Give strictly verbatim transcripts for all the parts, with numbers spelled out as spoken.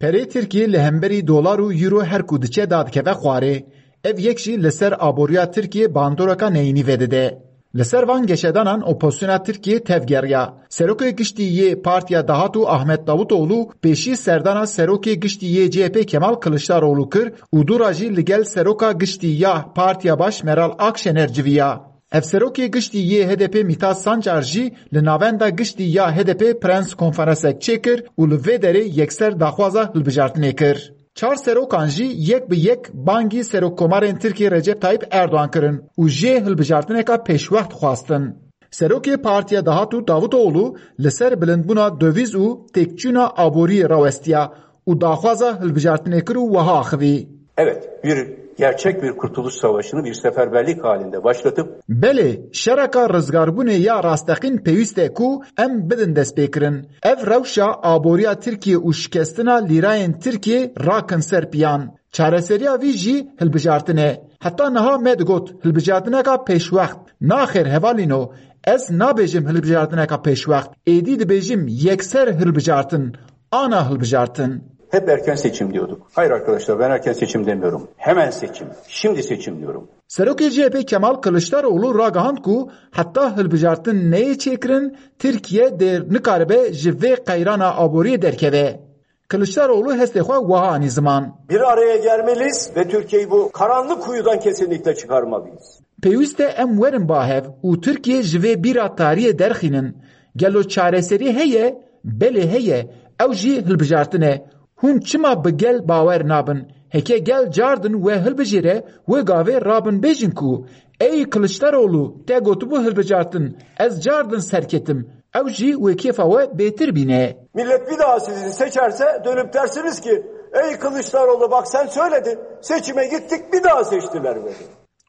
Herê Tirkiyê li hemberî dolar û euro her ku diçe dadikeve xwarê. Ev yek jî li ser aboriya Tirkiyê bandoreka neyînî vedide. Li ser van geşedanan opozisyona Tirkiyê tevgeriya. Serokê giştî yê Partiya Dahat û Ahmet Davutoğlu pêşî serdana serokê giştî yê C H P Kemal Kılıçdaroğlu kir û dûra jî li gel seroka giştî ya Partiya Baş Meral Akşener civiya. Hevserokê giştî yê H D P Mithat Sancar jî li navenda giştî ya H D P prens konferansek çêkir û li vê derê yekser daxwaza hilbijartinê kir. Çar serokan jî yek bi yek bangî Serokkomarên Tirkiyê Recep Tayyip Erdoğan kirin û jê hilbijartineka pêşwext xwestin. Serokê Partiya Dahat û Davutoğlu li ser bilindbûna döviz û têkçûna aboriyê rawestiya û daxwaza hilbijartinê kir û wiha axivî. Evet, bir gerçek bir kurtuluş savaşını bir seferberlik halinde başlatıp Belê, şereka rizgarbûnê ya rasteqîn pêwîst e ku em bidin destpêkirin. Ev rewşa aboriya Tirkiye û şikestina lîrayên Tirkiye rakin ser piyan. Çareseriya vî jî hilbijartin e. Heta niha me digot hilbijartineka pêşwext. Naxêr hevalîno, ez nabêjim hilbijartineka pêşwext. Êdî dibêjim yekser hilbijartin. Ana hilbijartin. Hep erken seçim diyorduk. Hayır arkadaşlar, ben erken seçim demiyorum. Hemen seçim. Şimdi seçim diyorum. Serokê C H P Kemal Kılıçdaroğlu ragihand ku heta hilbijartin neyê çêkirin, Tirkiye dê nikaribe ji vê qeyrana aboriyê derkeve. Kılıçdaroğlu hestê xwe wiha anî ziman. Bir araya gelmeliyiz ve Türkiye'yi bu karanlık kuyudan kesinlikle çıkarmalıyız. Pêwîst e em werin ba hev û Tirkiye ji vê bîra tariyê derxînin. Gelo çareserî heye? Belê heye. Ew jî hilbijartin e. Hûn çima bi gel bawer nabin? Heke gel cardin we hilbijêre, wê gavê rabin bêjin ku, ey Kiliçdaroglu, te gotibû hilbijartin, ez cardin serketim. Ew jî wê kêfa we bêtir bîne. Millet bir daha sizi seçerse dönüp dersiniz ki, "Ey Kılıçdaroğlu, bak sen söyledin, seçime gittik, bir daha seçtiler beni."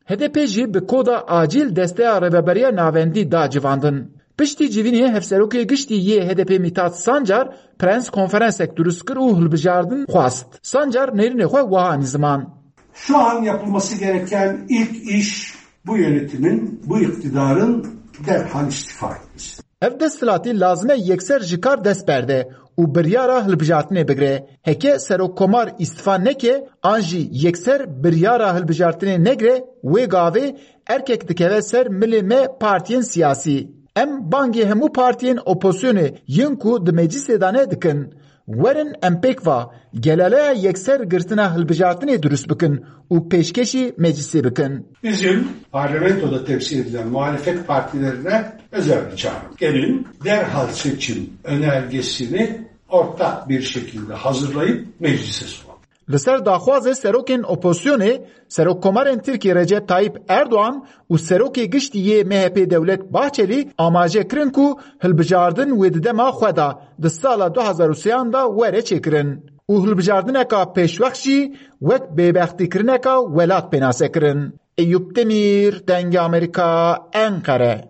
H D P jî bi koda acîl desteya Rêveberiya Navendî da civandin. Piştî civînê hevserokê giştî yê H D P Mithat Sancar prens konferansek dirust kir û hilbijardin xwest. Sancar nêrînê xwe wiha anî ziman. Şu an yapılması gereken ilk iş bu yönetimin, bu iktidarın derhal istifa etmesi. Ev desthilatî lazim e yekser ji kar dest berde û biryara hilbijartinê bigire. Heke serokkomar îstifa neke an jî yekser biryara hilbijartinê negire, wê gavê erkek dikeve ser milê me partiyên siyasî. Em bangê hemû partiyên opozisyonê yên ku di meclisê de ne dikin. Werin em pêk va gelaleya yekser girtina hilbijartinê dirust bikin û pêşkêşî meclisê bikin. Bizim parlamentoda temsil edilen muhalefet partilerine özel bir çağrı. Gelin derhal seçim önergesini ortak bir şekilde hazırlayıp meclise sunalım. Li ser daxwazê serokên opozisyonê, Serokkomarên Tirkiyê Recep Tayyip Erdoğan û Serokê Giştî yê M H P Devlet Bahçeli amaje kirin ku hilbijardin wê di dema xwe de di sala du hazar û sêyan de were çêkirin û hilbijardineka pêşwext jî wek bêbextîkirineka welat pênase kirin. Eyûp Demîr, Dengê Amerîka, Enqere.